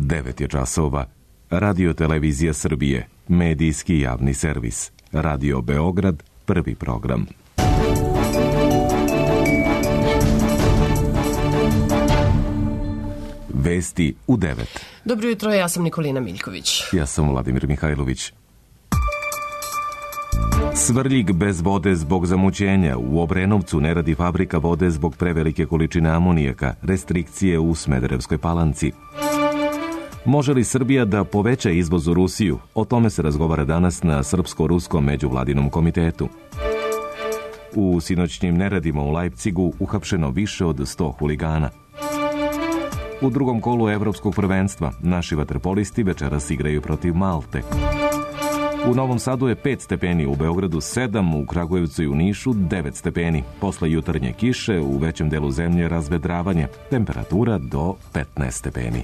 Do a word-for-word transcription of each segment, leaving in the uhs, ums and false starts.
devet je časova. Radio Televizija Srbije, medijski javni servis. Radio Beograd, prvi program. Vesti u devet. Dobro jutro, ja sam Nikolina Miljković. Ja sam Vladimir Mihajlović. Svrljig bez vode zbog zamućenja. U Obrenovcu ne radi fabrika vode zbog prevelike količine amonijaka. Restrikcije u Smederevskoj Palanci. Može li Srbija da poveća izvoz u Rusiju? O tome se razgovara danas na Srpsko-Ruskom međuvladinom komitetu. U sinoćnjim neradima u Lajpcigu uhapšeno više od sto huligana. U drugom kolu evropskog prvenstva naši vaterpolisti večeras igraju protiv Malte. U Novom Sadu je pet stepeni, u Beogradu sedam, u Kragujevcu i u Nišu devet stepeni. Posle jutarnje kiše u većem delu zemlje razvedravanje, temperatura do petnaest stepeni.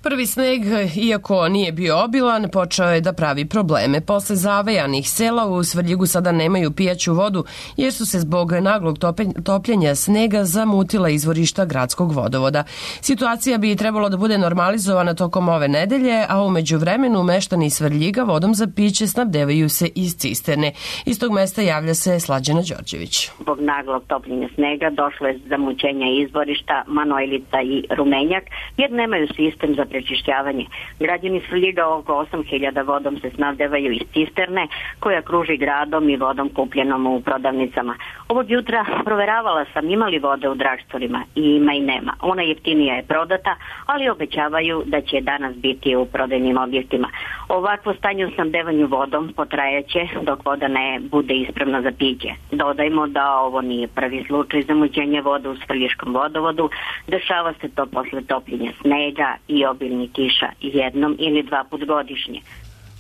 Prvi sneg, iako nije bio obilan, počeo je da pravi probleme. Posle zavejanih sela u Svrljigu sada nemaju pijaću vodu, jer su se zbog naglog topljenja snega zamutila izvorišta gradskog vodovoda. Situacija bi trebalo da bude normalizovana tokom ove nedelje, a u međuvremenu meštani Svrljiga vodom za piće snabdevaju se iz cisterne. Iz tog mesta javlja se Slađana Đorđević. Zbog naglog topljenja snega došlo je zamućenja izvorišta Manojlica i Rumenjak, jer nemaju sistem za prečišćavanje. Građani Svrljiga oko osam hiljada vodom se snabdevaju iz cisterne koja kruži gradom i vodom kupljenom u prodavnicama. Ovog jutra proveravala sam ima li vode u dragstvorima i ima i nema. Ona jeftinija je prodata, ali obećavaju da će danas biti u prodajnim objektima. Ovakvo stanje u snabdevanju vodom potrajaće dok voda ne bude ispravna za piće. Dodajmo da ovo nije prvi slučaj zamućenja vode u Svrljiškom vodovodu. Dešava se to posle topljenja snega i obilnih kiša jednom ili dva put godišnje.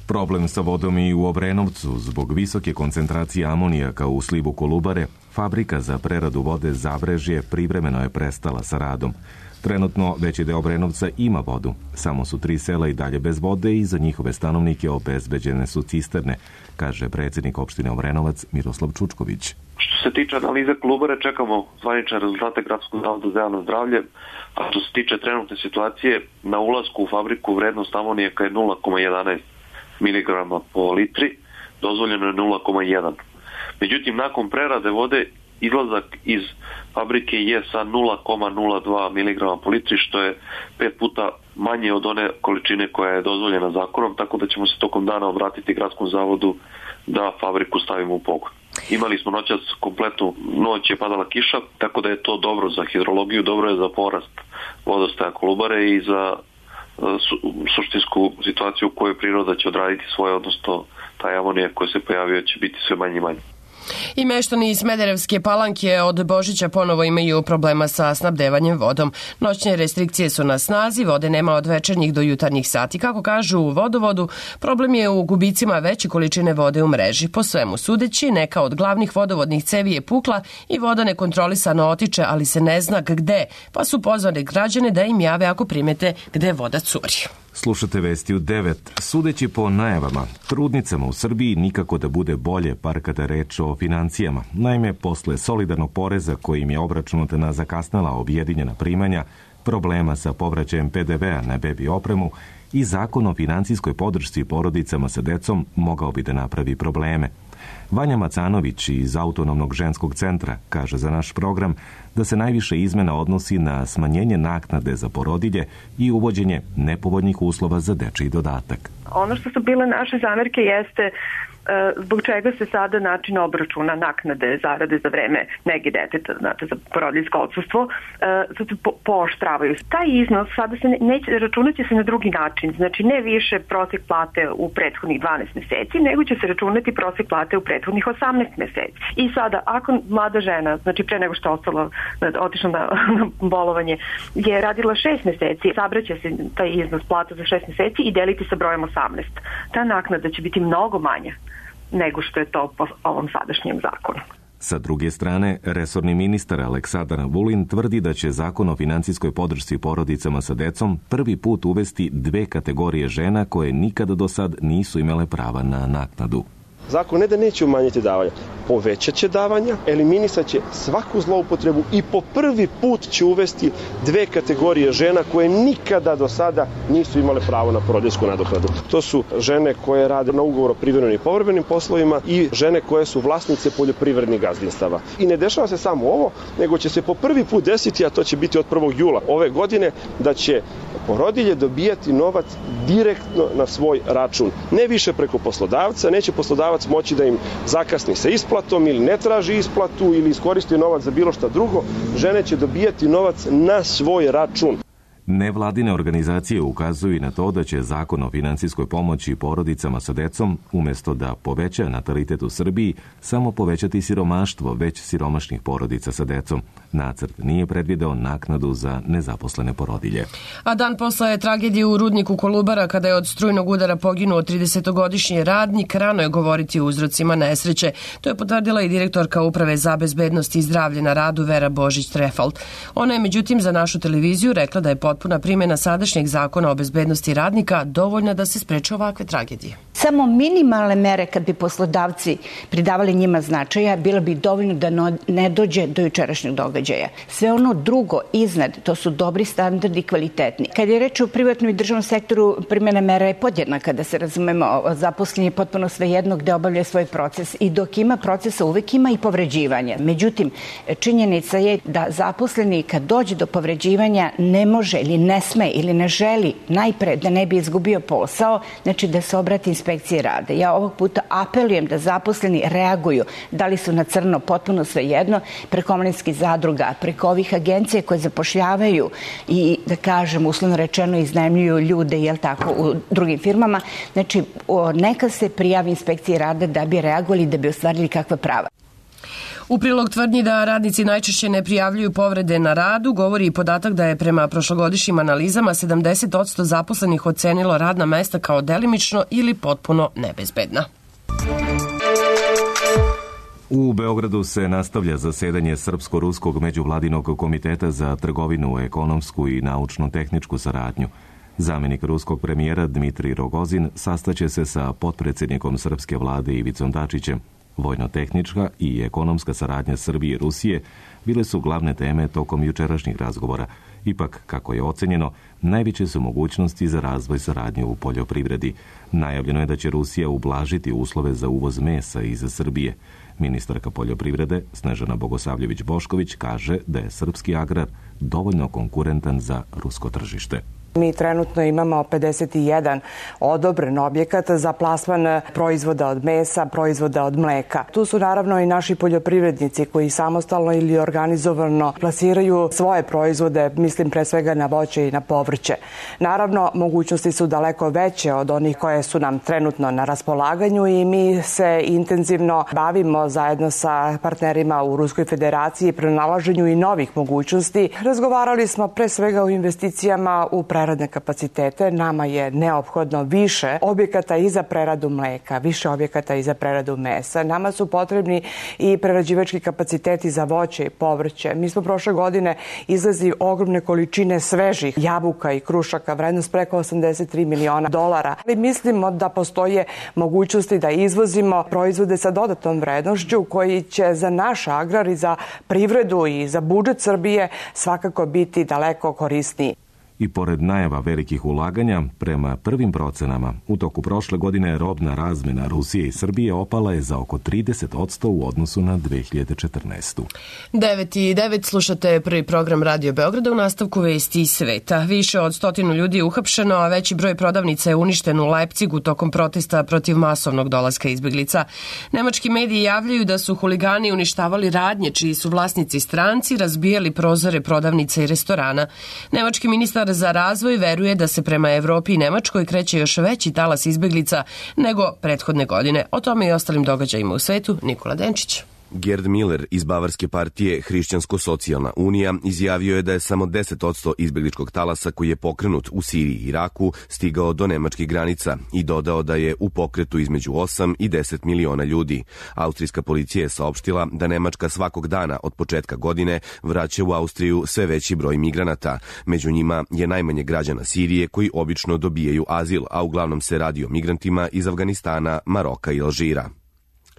Problem sa vodom i u Obrenovcu. Zbog visoke koncentracije amonijaka u slivu Kolubare, fabrika za preradu vode Zabrežje privremeno je prestala sa radom. Trenutno veći deo Obrenovca ima vodu. Samo su tri sela i dalje bez vode i za njihove stanovnike obezbeđene su cisterne, kaže predsjednik opštine Obrenovac Miroslav Čučković. Što se tiče analize Kolubare, čekamo zvanične rezultate Gradskog zavoda za javno zdravlje, a što se tiče trenutne situacije, na ulasku u fabriku vrednost amonijaka je nula zarez jedanaest miligrama po litri, dozvoljeno je nula zarez jedan. Međutim, nakon prerade vode, izlazak iz fabrike je sa nula zarez nula dva miligrama po litri, što je pet puta manje od one količine koja je dozvoljena zakonom, tako da ćemo se tokom dana obratiti Gradskom zavodu da fabriku stavimo u pogon. Imali smo noćas kompletnu noć, je padala kiša, tako da je to dobro za hidrologiju, dobro je za porast vodostaja Kolubare i za su, suštinsku situaciju u kojoj priroda će odraditi svoje, odnosno taj amonijak koji se pojavio će biti sve manje i manje. I meštani iz Smederevske Palanke od Božića ponovo imaju problema sa snabdevanjem vodom. Noćne restrikcije su na snazi, vode nema od večernjih do jutarnjih sati. Kako kažu u vodovodu, problem je u gubicima veće količine vode u mreži. Po svemu sudeći, neka od glavnih vodovodnih cevi je pukla i voda nekontrolisano otiče, ali se ne zna gde, pa su pozvali građane da im jave ako primete gde voda curi. Slušate vesti u devet. Sudeći po najavama, trudnicama u Srbiji nikako da bude bolje, par kada reč o financijama. Naime, posle solidarnog poreza kojim je obračunata na zakasnala objedinjena primanja, problema sa povraćajem pe de vea na bebi opremu i zakon o financijskoj podršci porodicama sa decom mogao bi da napravi probleme. Vanja Macanović iz Autonomnog ženskog centra kaže za naš program da se najviše izmena odnosi na smanjenje naknade za porodilje i uvođenje nepovoljnih uslova za dečiji dodatak. Ono što su bile naše zamerke jeste zbog čega se sada način obračuna naknade zarade za vreme nege deteta, znate, za porodiljsko odsustvo, sad se po, pooštravaju. Taj iznos sada se ne, neće, računati se na drugi način, znači ne više prosjek plate u prethodnih dvanaest meseci, nego će se računati prosjek plate u prethodnih osamnaest meseci. I sada, ako mlada žena, znači pre nego što je ostala, otišla na, na bolovanje, je radila šest meseci, sabraća se taj iznos plata za šest meseci i deliti sa brojem osamnaest. Ta naknada će biti mnogo manja nego što je to po ovom sadašnjem zakonu. Sa druge strane, resorni ministar Aleksandar Vulin tvrdi da će zakon o financijskoj podršci porodicama sa decom prvi put uvesti dve kategorije žena koje nikada do sad nisu imale prava na naknadu. zakon ne da neće umanjiti davanja, povećat će davanja, eliminisat će svaku zloupotrebu i po prvi put će uvesti dve kategorije žena koje nikada do sada nisu imale pravo na porodiljsku nadoknadu. To su žene koje rade na ugovor o privremenim i povremenim poslovima i žene koje su vlasnice poljoprivrednih gazdinstava. I ne dešava se samo ovo, nego će se po prvi put desiti, a to će biti od prvog jula ove godine, da će porodilje dobijati novac direktno na svoj račun. Ne više preko poslodavca, neće poslodavac moći da im zakasni sa isplatom ili ne traži isplatu ili iskoristi novac za bilo šta drugo. Žene će dobijati novac na svoj račun. Nevladine organizacije ukazuju i na to da će zakon o finansijskoj pomoći porodicama sa decom, umjesto da poveća natalitet u Srbiji, samo povećati siromaštvo već siromašnih porodica sa decom. Nacrt nije predvideo naknadu za nezaposlene porodilje. A dan posle tragedije u rudniku Kolubara, kada je od strujnog udara poginuo tridesetogodišnji radnik, rano je govoriti o uzrocima nesreće. To je potvrdila i direktorka Uprave za bezbednost i zdravlje na radu Vera Božić-Trefalt. Ona je međutim za našu televiziju rekla da je potpuna primjena sadašnjeg zakona o bezbednosti radnika dovoljna da se spreče ovakve tragedije. Samo minimalne mere kad bi poslodavci pridavali njima značaja, bilo bi dovoljno da ne dođe do jučerašnjeg događaja. Sve ono drugo iznad, to su dobri standardi i kvalitetni. Kad je reč o privatnom i državnom sektoru, primjena mera je podjednaka, da se razumemo, zaposleni je potpuno svejedno gde obavlja svoj proces i dok ima procesa uvek ima i povređivanja. Međutim, činjenica je da zaposleni kad dođe do povređivanja ne može ili ne sme ili ne želi najpre da ne bi izgubio posao, znači da se obrati inspekcije rade. Ja ovog puta apelujem da zaposleni reaguju, da li su na crno, potpuno svejedno, preko omladinskih zadruga, preko ovih agencija koje zapošljavaju i, da kažem, uslovno rečeno iznajmljuju ljude, jel tako, u drugim firmama. Znači, neka se prijavi inspekcije rade da bi reagovali, da bi ostvarili kakva prava. U prilog tvrdnji da radnici najčešće ne prijavljuju povrede na radu govori i podatak da je prema prošlogodišnjim analizama sedamdeset posto zaposlenih ocenilo radna mesta kao delimično ili potpuno nebezbedna. U Beogradu se nastavlja zasedanje Srpsko-ruskog međuvladinog komiteta za trgovinu, ekonomsku i naučno-tehničku saradnju. Zamjenik ruskog premijera Dmitrij Rogozin sastaće se sa potpredsjednikom srpske vlade Ivicom Dačićem. Vojno-tehnička i ekonomska saradnja Srbije i Rusije bile su glavne teme tokom jučerašnjih razgovora. Ipak, kako je ocenjeno, najveće su mogućnosti za razvoj saradnje u poljoprivredi. Najavljeno je da će Rusija ublažiti uslove za uvoz mesa iz Srbije. Ministarka poljoprivrede Snežana Bogosavljević-Bošković kaže da je srpski agrar dovoljno konkurentan za rusko tržište. Mi trenutno imamo pedeset jedan odobren objekat za plasman proizvoda od mesa, proizvoda od mleka. Tu su naravno i naši poljoprivrednici koji samostalno ili organizovano plasiraju svoje proizvode, mislim pre svega na voće i na povrće. Naravno, mogućnosti su daleko veće od onih koje su nam trenutno na raspolaganju i mi se intenzivno bavimo zajedno sa partnerima u Ruskoj federaciji pronalaženju i novih mogućnosti. Razgovarali smo pre svega o investicijama u preradne kapacitete. Nama je neophodno više objekata i za preradu mleka, više objekata i za preradu mesa. Nama su potrebni i prerađivački kapaciteti za voće i povrće. Mi smo prošle godine izlazili ogromne količine svežih jabuka i krušaka, vrednost preko osamdeset tri miliona dolara. Ali mislimo da postoje mogućnosti da izvozimo proizvode sa dodatnom vrednošću koji će za naš agrar i za privredu i za budžet Srbije svakako biti daleko korisniji. I pored najava velikih ulaganja, prema prvim procenama, u toku prošle godine robna razmena Rusije i Srbije opala je za oko trideset posto u odnosu na dve hiljade četrnaestu. devet i devet slušate prvi program Radio Beograda, u nastavku vesti iz sveta. Više od stotinu ljudi je uhapšeno, a veći broj prodavnica je uništen u Lajpcigu tokom protesta protiv masovnog dolaska izbeglica. Nemački mediji javljaju da su huligani uništavali radnje čiji su vlasnici stranci, razbijali prozore prodavnica i restorana. Nemački ministar za razvoj veruje da se prema Evropi i Nemačkoj kreće još veći talas izbeglica nego prethodne godine. O tome i ostalim događajima u svetu Nikola Denčić. Gerd Miller iz Bavarske partije Hrišćansko-socijalna unija izjavio je da je samo deset posto izbegličkog talasa koji je pokrenut u Siriji i Iraku stigao do nemačkih granica i dodao da je u pokretu između osam i deset miliona ljudi. Austrijska policija je saopštila da Nemačka svakog dana od početka godine vraća u Austriju sve veći broj migranata. Među njima je najmanje građana Sirije koji obično dobijaju azil, a uglavnom se radi o migrantima iz Afganistana, Maroka i Alžira.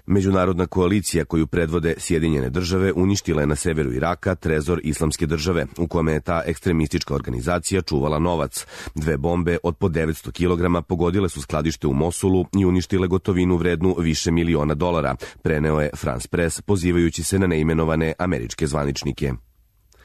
Međunarodna koalicija koju predvode Sjedinjene države uništila je na severu Iraka trezor Islamske države, u kome je ta ekstremistička organizacija čuvala novac. Dve bombe od po devetsto kilograma pogodile su skladište u Mosulu i uništile gotovinu vrednu više miliona dolara, preneo je France Press pozivajući se na neimenovane američke zvaničnike.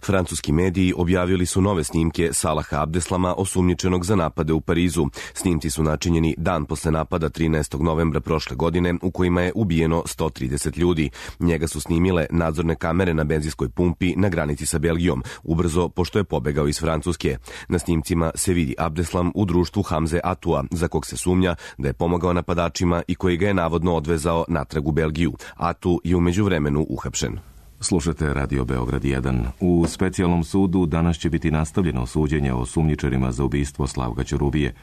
Francuski mediji objavili su nove snimke Salaha Abdeslama, osumnjičenog za napade u Parizu. Snimci su načinjeni dan posle napada trinaestog novembra prošle godine, u kojima je ubijeno sto trideset ljudi. Njega su snimile nadzorne kamere na benzinskoj pumpi na granici sa Belgijom, ubrzo pošto je pobegao iz Francuske. Na snimcima se vidi Abdeslam u društvu Hamze Atua, za kog se sumnja da je pomagao napadačima i koji ga je navodno odvezao natrag u Belgiju. Atu je u međuvremenu uhapšen. Slušate Radio Beograd jedan. U specijalnom sudu danas će biti nastavljeno suđenje o sumnjičarima za ubistvo Slavka Ćurubije.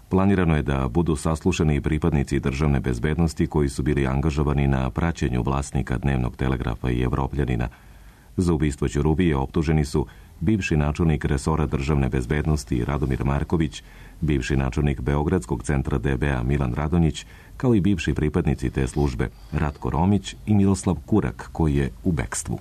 Planirano je da budu saslušani pripadnici državne bezbednosti koji su bili angažovani na praćenju vlasnika Dnevnog telegrafa i Evropljanina. Za ubistvo Ćurubije optuženi su bivši načelnik resora državne bezbednosti Radomir Marković, bivši načelnik Beogradskog centra D B A Milan Radonjić, kao i bivši pripadnici te službe Ratko Romić i Miroslav Kurak, koji je u bekstvu.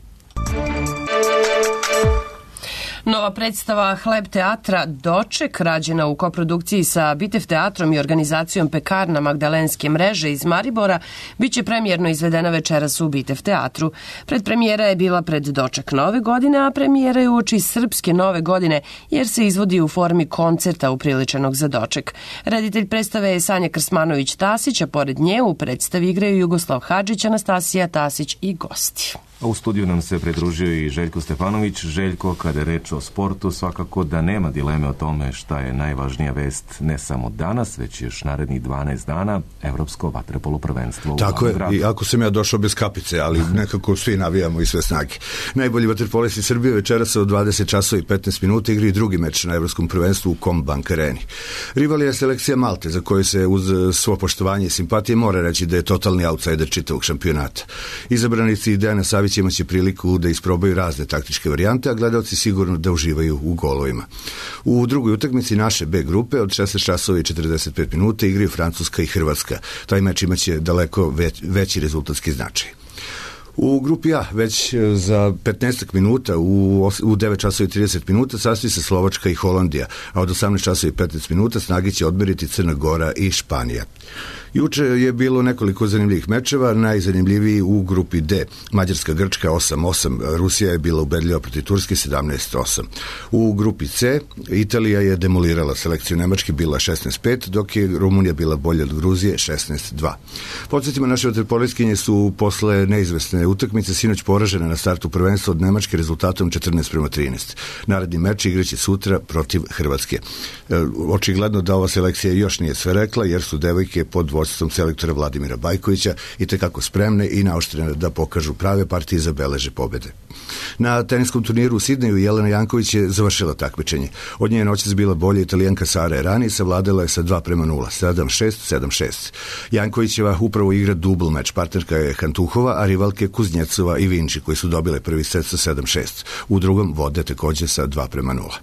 Nova predstava Hleb teatra Doček, rađena u koprodukciji sa Bitev teatrom i organizacijom Pekarna Magdalenske mreže iz Maribora, biće premijerno izvedena večeras u Bitev teatru. Predpremijera je bila pred Doček nove godine, a premijera je uoči srpske nove godine, jer se izvodi u formi koncerta upriličenog za doček. Reditelj predstave je Sanja Krsmanović-Tasić, a pored nje u predstavi igraju Jugoslav Hadžić, Anastasija Tasić i gosti. A u studiju nam se pridružio i Željko Stefanović. Željko, kada je reč o sportu, svakako da nema dileme o tome šta je najvažnija vest ne samo danas, već još narednih dvanaest dana, Evropsko vaterpolo prvenstvo. Tako je, i ako sam ja došao bez kapice, ali nekako svi navijamo i sve snage. Najbolji vaterpolisti Srbije večeras od dvadeset časova i petnaest minuta igri drugi meč na Evropskom prvenstvu u Combank areni. Rival je selekcija Malte, za koju se uz svo poštovanje i simpatije mora reći da je totalni outsider čitavog šampionata. Izabranici Dejana Savića imaće priliku da isprobaju razne taktičke varijante, a gledalci sigurno da uživaju u golovima. U drugoj utakmici naše B grupe od šesnaest časova i četrdeset pet minuta igraju Francuska i Hrvatska. Taj meč imaće daleko već, veći rezultatski značaj. U grupi A već za petnaest minuta u, u devet časova i trideset minuta sastoji se Slovačka i Holandija, a od osamnaest časova i petnaest minuta snage će odmeriti Crna Gora i Španija. Juče je bilo nekoliko zanimljivih mečeva, najzanimljiviji u grupi D. Mađarska Grčka osam osam, Rusija je bila ubedljiva protiv Turske sedamnaest osam. U grupi C Italija je demolirala selekciju Nemačke, bila šesnaest pet, dok je Rumunija bila bolja od Gruzije šesnaest dva. Podsjetimo, naše vaterpolistkinje su posle neizvesne utakmice sinoć poražene na startu prvenstva od Nemačke rezultatom četrnaest prema trinaest. Naredni meč igraće sutra protiv Hrvatske. Očigledno da ova selekcija još nije sve rekla, jer su devojke pod vodstvom selektora Vladimira Bajkovića i tekako spremne i naoštrene da pokažu prave partije i zabeleže pobede. Na teniskom turniru u Sidneju Jelena Janković je završila takmičenje. Od nje je noćas bila bolja Italijanka Sara Errani, savladala je sa dva prema nula, sedam šest, sedam šest. Jankovićeva upravo igra dubl meč, partnerka je Hantuhova, a rivalke Kuznjecova i Vinči, koji su dobile prvi set sa sedam šest. U drugom vode takođe sa dva prema nula.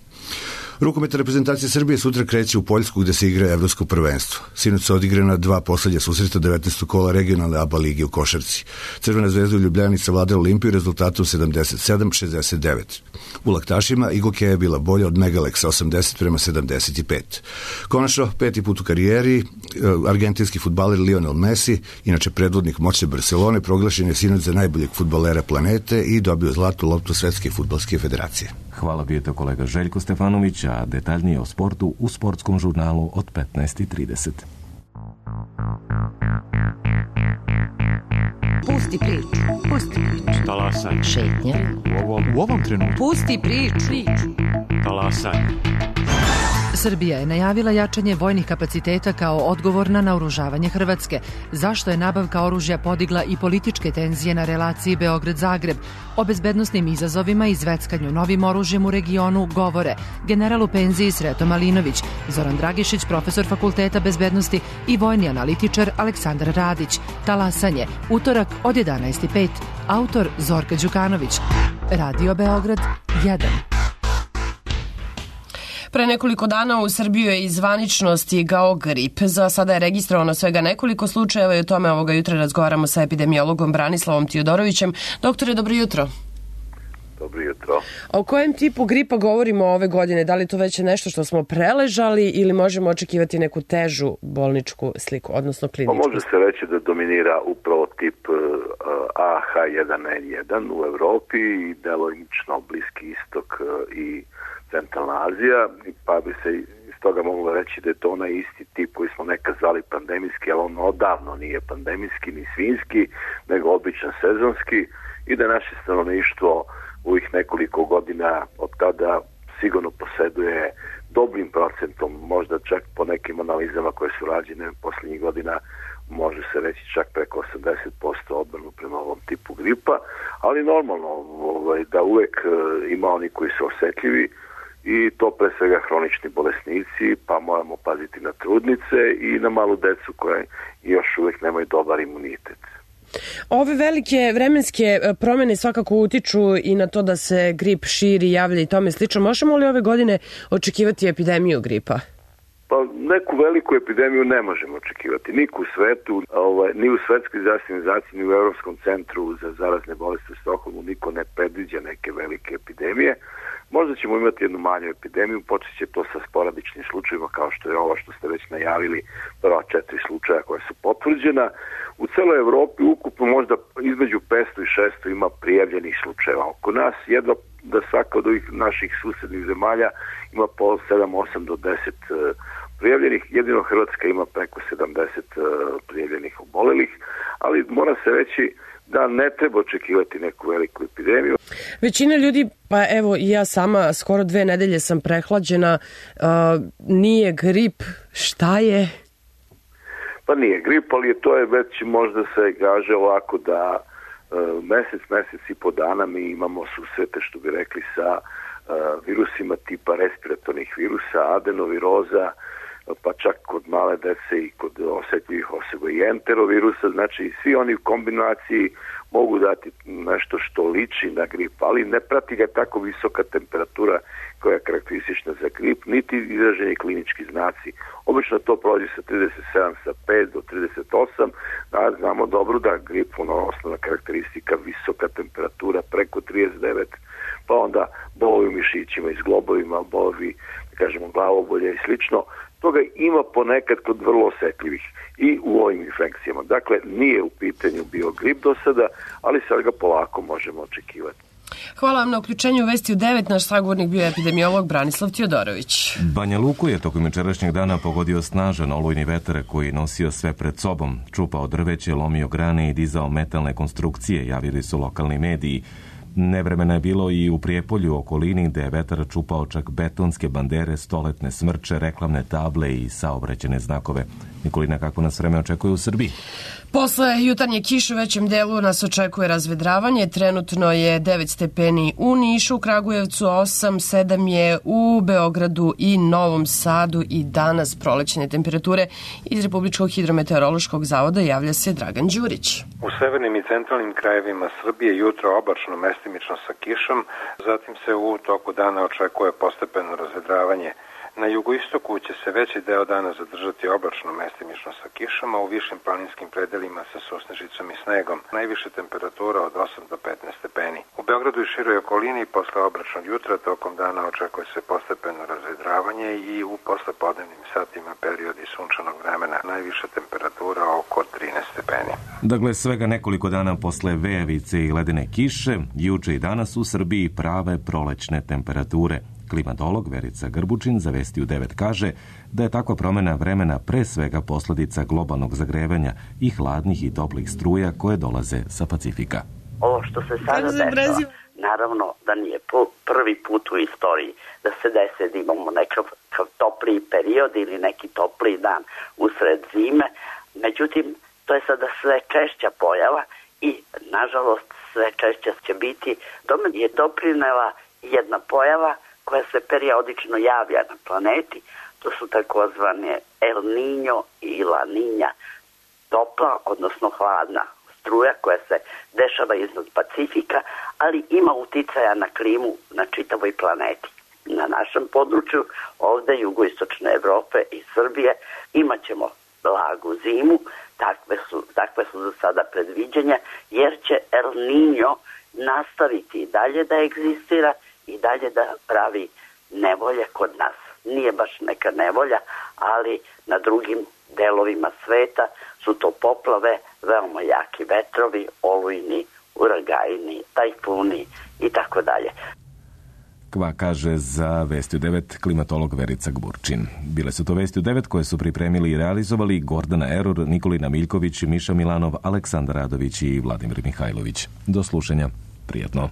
Rukometna reprezentacija Srbije sutra kreće u Poljsku gde se igra Evropsko prvenstvo. Sinoć su odigrana dva poslednja susreta devetnaestog kola regionalne A B A lige u košarci. Crvena zvezda u Ljubljani savladala Olimpiju rezultatom sedamdeset sedam šezdeset devet. U laktašima Igokeja je bila bolja od Megaleksa osamdeset prema sedamdeset pet. Konačno, peti put u karijeri, argentinski fudbaler Lionel Messi, inače predvodnik moćne Barcelone, proglašen je sinoć za najboljeg fudbalera planete i dobio zlatnu loptu Svetske fudbalske federacije. Hvala, bio to kolega Željko Stefanović, a detaljnije o sportu u sportskom žurnalu od petnaest i trideset. Pusti priču, pusti priču. Talasaj. Šetnja. U ovom, u ovom trenutku. Pusti priču. Talasaj. Srbija je najavila jačanje vojnih kapaciteta kao odgovor na naoružavanje Hrvatske, zašto je nabavka oružja podigla i političke tenzije na relaciji Beograd-Zagreb. O bezbednosnim izazovima i zveckanju novim oružjem u regionu govore general u penziji Sreto Malinović, Zoran Dragišić, profesor Fakulteta bezbednosti i vojni analitičar Aleksandar Radić. Talasanje, utorak od jedanaest i pet. Autor Zorka Đukanović. Radio Beograd jedan. Pre nekoliko dana u Srbiju je i zvanično stigao grip. Za sada je registrovano svega nekoliko slučajeva i o tome ovoga jutra razgovaramo sa epidemiologom Branislavom Tijodorovićem. Doktore, dobro jutro. Dobro jutro. O kojem tipu gripa govorimo ove godine? Da li to već je nešto što smo preležali ili možemo očekivati neku težu bolničku sliku, odnosno kliničku? Pa može se reći da dominira upravo tip A H jedan N jedan u Evropi i delimično Bliski istok i Centralna Azija, pa bi se iz toga moglo reći da je to onaj isti tip koji smo nekad zvali pandemijski, ali on odavno nije pandemijski ni svinjski, nego običan sezonski, i da naše stanovništvo u ih nekoliko godina od tada sigurno poseduje dobrim procentom, možda čak po nekim analizama koje su rađene posljednjih godina, može se reći čak preko osamdeset posto odbranu prema ovom tipu gripa, ali normalno ovaj, da uvek ima oni koji su osetljivi, i to pre svega hronični bolesnici, pa moramo paziti na trudnice i na malu decu koje još uvek nemaju dobar imunitet. Ove velike vremenske promjene svakako utiču i na to da se grip širi, javlja i tome slično. Možemo li ove godine očekivati epidemiju gripa? Pa neku veliku epidemiju ne možemo očekivati. Niko u svetu, ovaj, ni u Svetskoj zdravstvenoj organizaciji, ni u Evropskom centru za zarazne bolesti u Stokholmu niko ne predviđa neke velike epidemije. Možda ćemo imati jednu manju epidemiju, počet će to sa sporadičnim slučajima kao što je ovo što ste već najavili, prva četiri slučaja koja su potvrđena. U celoj Evropi ukupno možda između petsto i šesto ima prijavljenih slučajeva. Oko nas jedva da svaka od ovih naših susednih zemalja ima po sedam, osam do deset prijavljenih. Jedino Hrvatska ima preko sedamdeset prijavljenih obolelih, ali mora se reći da ne treba očekivati neku veliku epidemiju. Većina ljudi, pa evo i ja sama, skoro dve nedelje sam prehlađena, uh, nije grip, šta je? Pa nije grip, ali to je već možda se kaže ovako da uh, mesec, mesec i po dana mi imamo susrete, što bi rekli, sa uh, virusima tipa respiratornih virusa, adenoviroza, pa čak kod male dece i kod osjetljivih osoba i enterovirusa, znači svi oni u kombinaciji mogu dati nešto što liči na grip, ali ne prati ga tako visoka temperatura koja je karakteristična za grip, niti izraženi klinički znaci. Obično to prođe sa trideset sedam, sa pet do trideset osam, da znamo dobro da grip, ono osnovna karakteristika, visoka temperatura preko trideset devet, pa onda bolovi u mišićima i zglobovima, bolovi, da kažemo, glavobolje i slično. Toga ima ponekad kod vrlo osjetljivih i u ovim infekcijama. Dakle, nije u pitanju bio grip do sada, ali sad ga polako možemo očekivati. Hvala vam na uključenju u Vesti u devet. Naš sagovornik bio je epidemiolog Branislav Tijodorović. Banja Luku je tokom jučerašnjeg dana pogodio snažan olujni vetar koji je nosio sve pred sobom. Čupao drveće, lomio grane i dizao metalne konstrukcije, javili su lokalni mediji. Nevremena je bilo i u Prijepolju, okolini, gde je vetar čupao čak betonske bandere, stoletne smrče, reklamne table i saobraćajne znakove. Nikolina, kako nas vreme očekuje u Srbiji? Posle jutarnje kiše u većem delu nas očekuje razvedravanje. Trenutno je devet stepeni u Nišu, u Kragujevcu osam, sedam je u Beogradu i Novom Sadu i danas prolećne temperature. Iz Republičkog hidrometeorološkog zavoda javlja se Dragan Đurić. U severnim i centralnim krajevima Srbije jutro oblačno, mestimično sa kišom, zatim se u toku dana očekuje postepeno razvedravanje. Na jugoistoku će se veći deo dana zadržati oblačno, mestimično sa kišama, u višim planinskim predelima sa susnežicom i snegom. Najviše temperatura od osam do petnaest stepeni. U Beogradu i široj okolini posle oblačnog jutra tokom dana očekuje se postepeno razvedravanje i u poslepodnevnim satima periodi sunčanog vremena. Najviša temperatura oko trinaest stepeni. Dakle, svega nekoliko dana posle vejavice i ledene kiše, juče i danas u Srbiji prave prolećne temperature. Klimatolog Verica Grbučin za Vesti u devet kaže da je takva promjena vremena pre svega posljedica globalnog zagrevanja i hladnih i toplih struja koje dolaze sa Pacifika. Ovo što se sada dešava, naravno da nije prvi put u istoriji da se desi da imamo nekav topliji period ili neki topliji dan usred zime. Međutim, to je sada sve češća pojava i, nažalost, sve češća će biti. Tome je doprinela jedna pojava koja se periodično javlja na planeti. To su takozvane El Niño i La Niña, topla, odnosno hladna struja koja se dešava iznad Pacifika, ali ima uticaja na klimu na čitavoj planeti. na našem području, ovde jugoistočne Evrope i Srbije, imat ćemo blagu zimu, takve su, takve su za sada predviđenja, jer će El Niño nastaviti i dalje da egzistira i dalje da pravi nevolje kod nas. Nije baš neka nevolja, ali na drugim delovima sveta su to poplave, veoma jaki vetrovi, olujni, uragajni, tajfuni i tako dalje. Kva kaže za Vesti u devet klimatolog Verica Gburčin. Bile su to Vesti u devet koje su pripremili i realizovali Gordana Erur, Nikolina Miljković, Miša Milanov, Aleksandar Radović i Vladimir Mihajlović. Do slušanja. Prijetno.